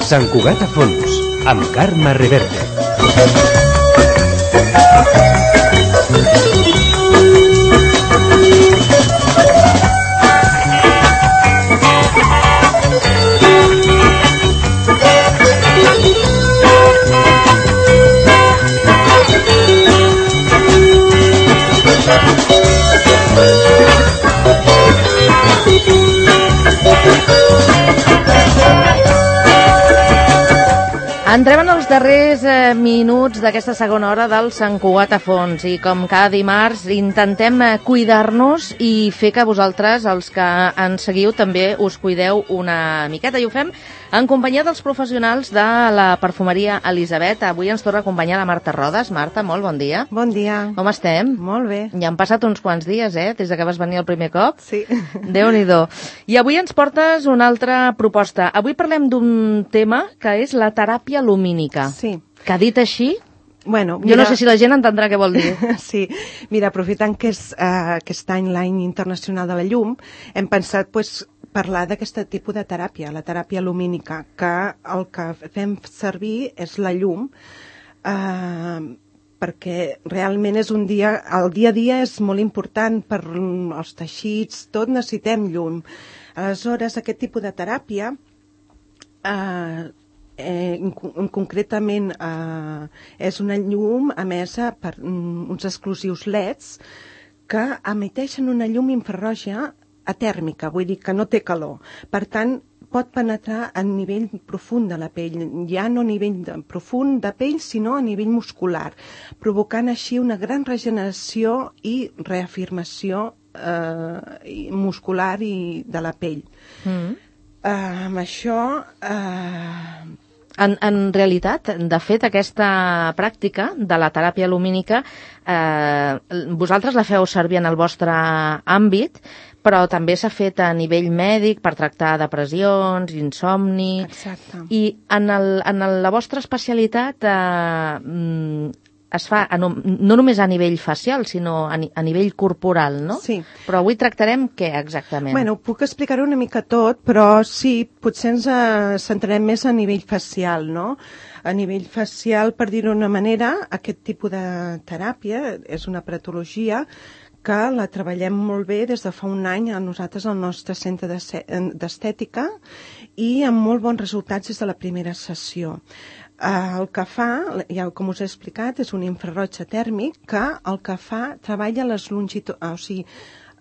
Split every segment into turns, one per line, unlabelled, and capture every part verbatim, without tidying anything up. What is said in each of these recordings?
Sant Cugat a Fons, amb Carme Reverte.
Entrem en els darrers eh, minuts d'aquesta segona hora del Sant Cugat a Fons i com cada dimarts intentem eh, cuidar-nos i fer que vosaltres, els que ens seguiu, també us cuideu una miqueta i ho fem en companyia dels professionals de la perfumeria Elisabet. Avui ens torna a acompanyar la Marta Rodes. Marta, molt bon dia.
Bon dia.
Com estem?
Molt bé.
Ja han passat uns quants dies, eh, des de que vas venir el primer cop.
Sí.
Déu-n'hi-do. I avui ens portes una altra proposta. Avui parlem d'un tema que és la teràpia lumínica.
Sí.
Que dit així,
bueno,
mira... jo no sé si la gent entendrà què vol dir.
Sí, mira, aprofitant que és uh, aquest any l'any internacional de la llum, hem pensat pues, parlar d'aquest tipus de teràpia, la teràpia lumínica, que el que fem servir és la llum, uh, perquè realment és un dia, el dia a dia és molt important per als teixits, tot necessitem llum. Aleshores, aquest tipus de teràpia uh, Eh, concretament eh, és una llum emesa per um, uns exclusius L E Ds que emeteixen una llum infrarroja atèrmica, vull dir que no té calor. Per tant, pot penetrar a nivell profund de la pell, ja no a nivell de, profund de pell, sinó a nivell muscular, provocant així una gran regeneració i reafirmació eh, muscular i de la pell. Mm. Eh, amb això... Eh,
En, en realitat, de fet, aquesta pràctica de la teràpia lumínica, eh, vosaltres la feu servir en el vostre àmbit, però també s'ha fet a nivell mèdic per tractar depressions, insomni...
Exacte.
I en, el, en el, la vostra especialitat eh, es fa a no, no només a nivell facial, sinó a, ni, a nivell corporal, no?
Sí.
Però avui tractarem què exactament?
Bueno, puc explicar-ho una mica tot, però sí, potser ens eh, centrarem més a nivell facial, no? A nivell facial, per dir-ho d'una manera, aquest tipus de teràpia és una patologia que la treballem molt bé des de fa un any a nosaltres al nostre centre d'estètica i amb molt bons resultats des de la primera sessió. Uh, el que fa, ja com us he explicat, és un infraroig tèrmic que el que fa treballa les longituds, uh, o sigui,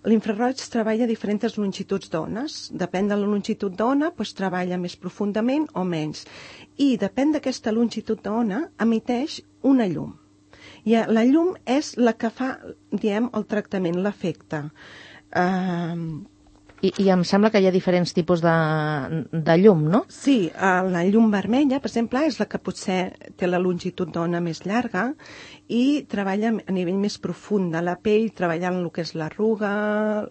l'infraroig treballa a diferents longituds d'ones. Depèn de la longitud d'ona, doncs treballa més profundament o menys. I depèn d'aquesta longitud d'ona, emiteix una llum. I la llum és la que fa, diem, el tractament, l'efecte. Uh,
I, I em sembla que hi ha diferents tipus de, de llum, no?
Sí, la llum vermella, per exemple, és la que potser té la longitud d'ona més llarga i treballa a nivell més profund de la pell, treballant el que és l'arruga,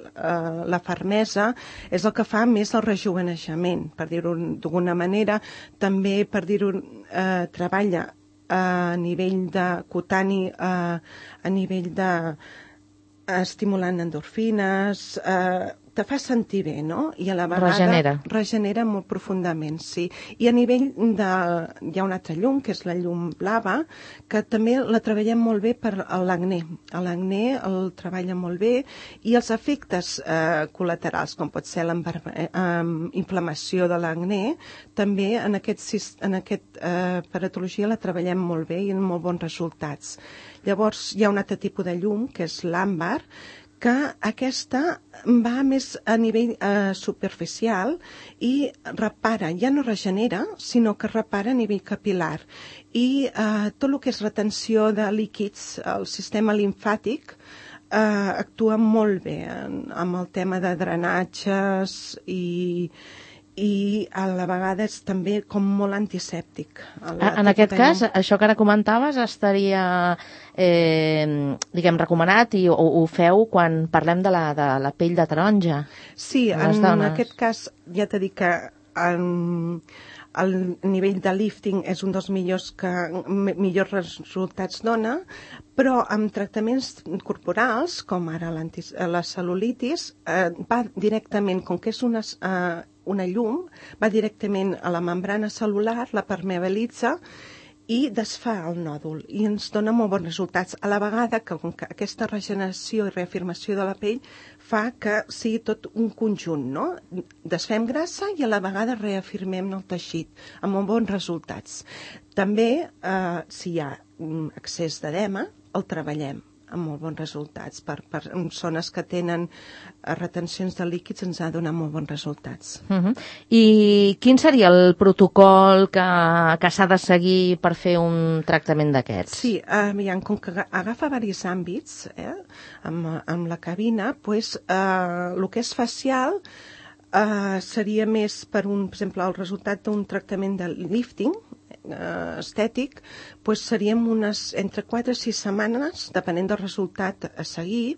eh, la fermesa, és el que fa més el rejuveneixement, per dir-ho d'alguna manera. També, per dir-ho, eh, treballa a nivell de cutani, eh, a nivell de eh, estimulant endorfines, eh, te fa sentir bé, no? I a la vegada...
Regenera.
Regenera molt profundament, sí. I a nivell de... Hi ha una altra llum, que és la llum blava, que també la treballem molt bé per l'acné. L'acné el treballa molt bé i els efectes eh, col·laterals, com pot ser la eh, inflamació de l'acné, també en aquest, en aquest eh, patologia la treballem molt bé i amb molt bons resultats. Llavors, hi ha un altre tipus de llum, que és l'àmbar, que aquesta va més a nivell eh, superficial i repara, ja no regenera, sinó que repara a nivell capilar. I eh, tot el que és retenció de líquids, el sistema limfàtic, eh, actua molt bé en, amb el tema de drenatges i... i a la vegada és també com molt antisèptic.
En aquest cas, això que ara comentaves estaria eh, diguem, recomanat i ho, ho feu quan parlem de la, de la pell de taronja.
Sí, en aquest cas ja t'he dit que en, el nivell de lifting és un dels millors que millors resultats dona, però amb tractaments corporals, com ara la cel·lulitis, eh, va directament, com que és una, eh, una llum, va directament a la membrana cel·lular, la permeabilitza, i desfà el nòdul i ens dona molt bons resultats. A la vegada que, que aquesta regeneració i reafirmació de la pell fa que sigui tot un conjunt, no? Desfem grassa i a la vegada reafirmem el teixit, amb molt bons resultats. També, eh, si hi ha excés d'edema, el treballem amb molt bons resultats. Per, per zones que tenen retencions de líquids ens ha donat molt bons resultats.
Uh-huh. I quin seria el protocol que, que s'ha de seguir per fer un tractament d'aquests?
Sí, aviam, com que agafa diversos àmbits, eh, amb, amb la cabina, pues, eh, el que és facial eh, seria més per, un, per exemple, el resultat d'un tractament de lifting, estètic, doncs seríem unes entre quatre i sis setmanes, depenent del resultat a seguir,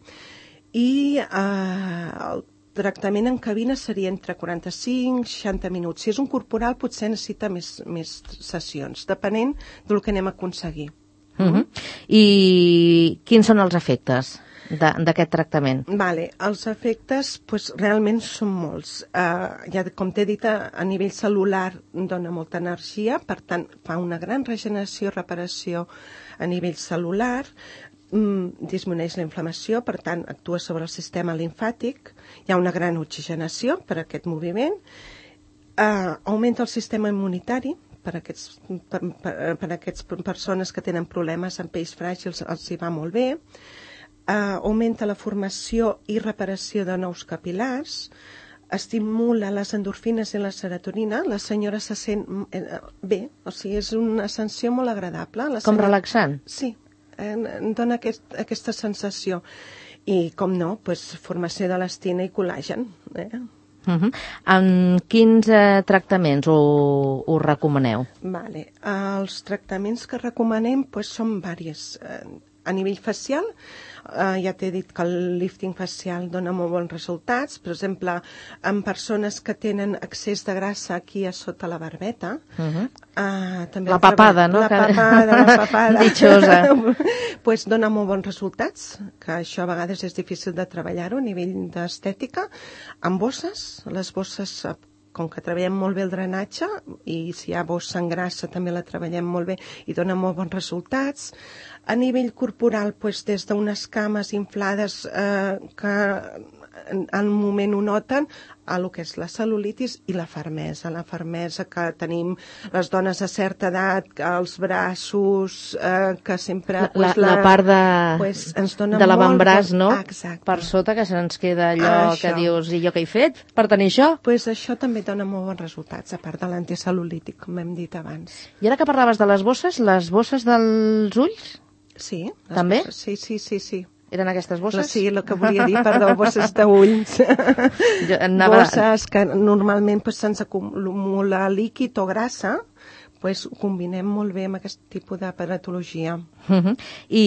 i eh, el tractament en cabina seria entre quaranta-cinc i seixanta minuts. Si és un corporal potser necessita més, més sessions, depenent del que anem a aconseguir.
Uh-huh. I quins són els efectes d'aquest tractament?
Vale, els efectes pues, realment són molts. Uh, ja, com t'he dit, a, a nivell cel·lular dona molta energia, per tant fa una gran regeneració i reparació a nivell cel·lular, mm, disminueix la inflamació, per tant actua sobre el sistema limfàtic, hi ha una gran oxigenació per aquest moviment, uh, augmenta el sistema immunitari, per aquests, per, per, per aquests persones que tenen problemes amb pells fràgils els hi va molt bé, Uh, augmenta la formació i reparació de nous capil·lars, estimula les endorfines i la serotonina, la senyora se sent eh, bé, o sigui, és una sensació molt agradable. La
Com
senyora...
relaxant?
Sí, eh, dona aquest, aquesta sensació. I, com no, pues, formació d'elastina i col·làgen. Eh?
Uh-huh. En quins eh, tractaments ho, ho recomaneu?
Vale. Els tractaments que recomanem pues, són diversos. Eh, a nivell facial, eh, ja t'he dit que el lifting facial dona molt bons resultats. Per exemple, en persones que tenen excés de grassa aquí a sota la barbeta. Uh-huh. eh, també
la papada, no?
La papada, la papada.
Ditxosa.
Pues dona molt bons resultats, que això a vegades és difícil de treballar-ho a nivell d'estètica. Amb bosses, les bosses, com que treballem molt bé el drenatge, i si hi ha bossa en grassa també la treballem molt bé i dona molt bons resultats. A nivell corporal, doncs, des d'unes cames inflades eh, que en, en un moment ho noten, a lo que és la cel·lulitis i la fermesa. La fermesa que tenim les dones a certa edat, els braços, eh, que sempre...
La,
pues,
la, la part de,
pues, ens dona
de
molt...
l'avantbraç, no?
Exacte.
Per sota, que se'ns queda allò
Això.
que dius, i jo què he fet per tenir això?
Pues això també dona molt bons resultats, a part de l'anticel·lulític, com hem dit abans.
I ara que parlaves de les bosses, les bosses dels ulls?
Sí.
També?
Bosses, sí, sí, sí, sí.
Eren aquestes bosses?
Sí, el que volia dir, perdó, bosses d'ulls. Anava... Bosses que normalment pues, se'ns acumula líquid o grassa, pues, ho combinem molt bé amb aquest tipus de paratologia.
Uh-huh. I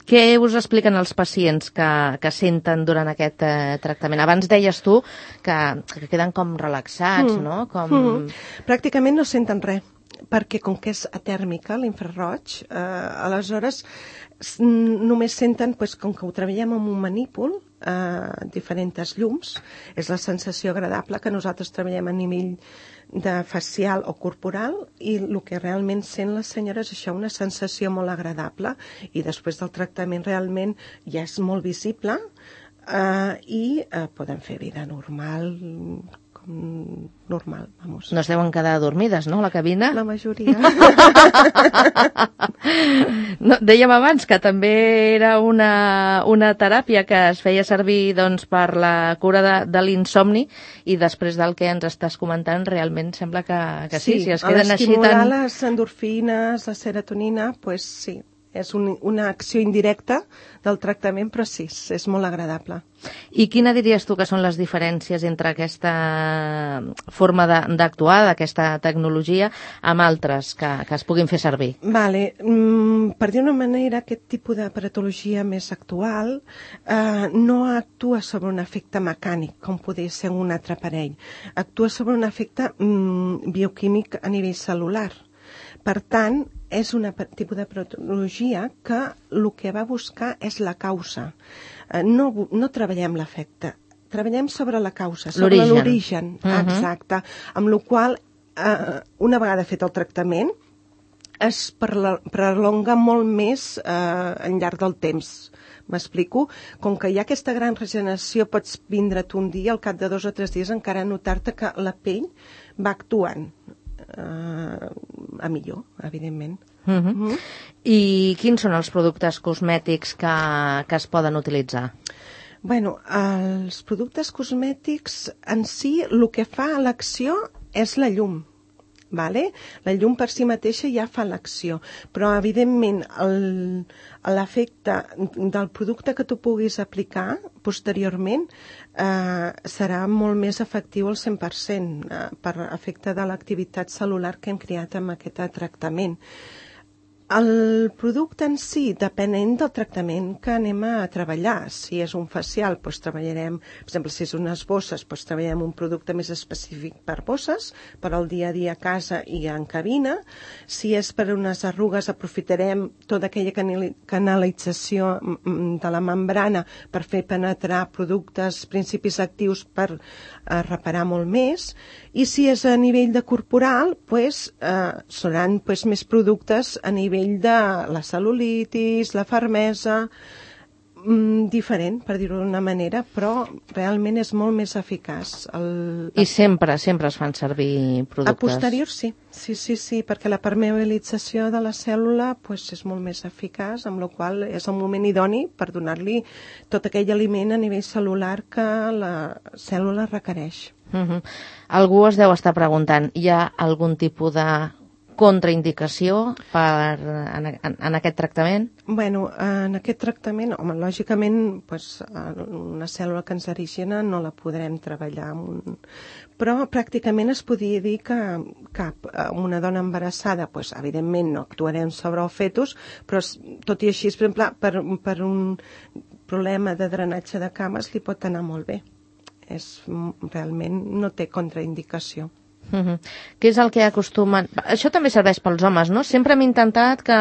què us expliquen els pacients que, que senten durant aquest eh, tractament? Abans deies tu que, que queden com relaxats, mm. no? Com...
Mm. Pràcticament no senten res, perquè com que és atèrmica, l'infraroig, eh, aleshores només senten, pues, com que ho treballem amb un manípul, eh, diferents llums, és la sensació agradable que nosaltres treballem a nivell de facial o corporal, i el que realment sent les senyores és això, una sensació molt agradable, i després del tractament realment ja és molt visible, eh, i eh, poden fer vida normal, normal, vamos.
No es deuen quedar dormides, no, a la cabina?
La majoria.
No, dèiem abans que també era una, una teràpia que es feia servir doncs, per la cura de, de l'insomni, i després del que ens estàs comentant realment sembla que, que sí,
sí,
si es queden així tan...
estimular les endorfines, la serotonina, pues sí, és un, una acció indirecta del tractament, però sí, és molt agradable.
I quina diries tu que són les diferències entre aquesta forma d'actuar, d'aquesta tecnologia, amb altres que, que es puguin fer servir?
Vale. Mm, per dir una manera, aquest tipus d'aparatologia més actual eh, no actua sobre un efecte mecànic, com podria ser un altre aparell. Actua sobre un efecte mm, bioquímic a nivell celular. Per tant, és un tipus de patologia que el que va buscar és la causa. No, no treballem l'efecte, treballem sobre la causa, sobre l'origen. Uh-huh. Exacte. Amb la qual cosa, eh, una vegada fet el tractament, es prolonga molt més eh, al llarg del temps. M'explico? Com que hi ha aquesta gran regeneració, pots vindre't un dia, al cap de dos o tres dies, encara notar-te que la pell va actuant. Uh, a millor, evidentment.
Uh -huh. Uh -huh. I quins són els productes cosmètics que, que es poden utilitzar?
Bueno, els productes cosmètics en si, el que fa l'acció és la llum. Vale? La llum per si mateixa ja fa l'acció, però evidentment l'efecte del producte que tu puguis aplicar posteriorment eh, serà molt més efectiu al cent per cent eh, per efecte de l'activitat cel·lular que hem creat amb aquest tractament. El producte en si, depenent del tractament que anem a treballar. Si és un facial, doncs treballarem, per exemple, si és unes bosses, doncs treballarem un producte més específic per bosses, per al dia a dia a casa i en cabina. Si és per unes arrugues, aprofitarem tota aquella canalització de la membrana per fer penetrar productes, principis actius per eh, reparar molt més. I si és a nivell de corporal, doncs, eh, seran doncs, més productes a nivell de la cel·lulitis, la fermesa, mm, diferent, per dir-ho d'una manera, però realment és molt més eficaç. El...
I sempre, sempre es fan servir productes?
A posterior sí, sí, sí, sí, perquè la permeabilització de la cèl·lula pues, és molt més eficaç, amb la qual és el moment idoni per donar-li tot aquell aliment a nivell cel·lular que la cèl·lula requereix.
Uh-huh. Algú es deu estar preguntant, hi ha algun tipus de contraindicació per, en, en, en aquest tractament?
Bueno, en aquest tractament, home, lògicament, pues, una cèl·lula cancerígena no la podrem treballar amb un... Però pràcticament es podria dir que cap una dona embarassada, pues, evidentment no actuarem sobre el fetus, però tot i així, per exemple, per, per un problema de drenatge de cames li pot anar molt bé. És, realment no té contraindicació.
Uh-huh. Què és el que acostumen... Això també serveix pels homes, no? Sempre hem intentat que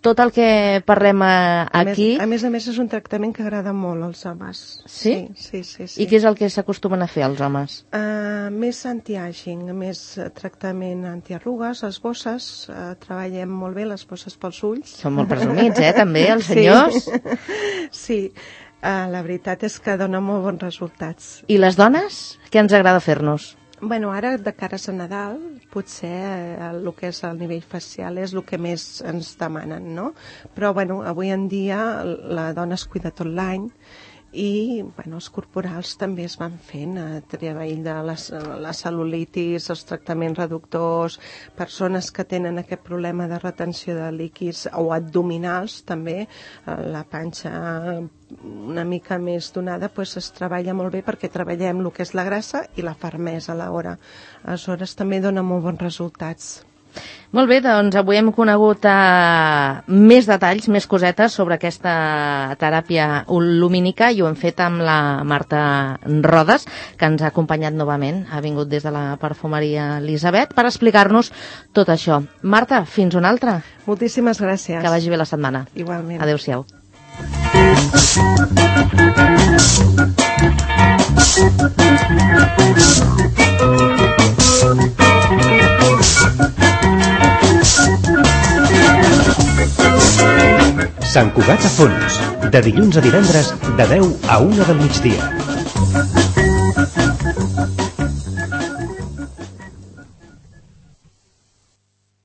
tot el que parlem aquí...
A més a més, a més és un tractament que agrada molt als homes.
Sí?
Sí, sí, sí.
I què és el que s'acostumen a fer als homes?
Uh, més anti-aging, més tractament antiarrugues, les bosses, uh, treballem molt bé les bosses pels ulls.
Són molt presumits, eh, també, els senyors?
Sí, sí. Uh, la veritat és que dona molt bons resultats.
I les dones? Què ens agrada fer-nos?
Bueno, ara de cares a Nadal, potser eh, el que és el nivell facial és el que més ens demanen, no? Però, bueno, avui en dia la dona es cuida tot l'any i, bueno, els corporals també es van fent a treball de les, la cel·lulitis, els tractaments reductors, persones que tenen aquest problema de retenció de líquids o abdominals també, la panxa una mica més donada, doncs es treballa molt bé perquè treballem el que és la grassa i la fermesa a l'hora. Aleshores també dona molt bons resultats.
Molt bé, doncs avui hem conegut eh, més detalls, més cosetes sobre aquesta teràpia lumínica i ho hem fet amb la Marta Rodes, que ens ha acompanyat novament, ha vingut des de la perfumeria Elisabet per explicar-nos tot això. Marta, fins una altra.
Moltíssimes gràcies.
Que vagi bé la setmana.
Igualment.
Adéu-siau.
Sant Cugat a Fons, de dilluns a divendres, de deu a una del migdia.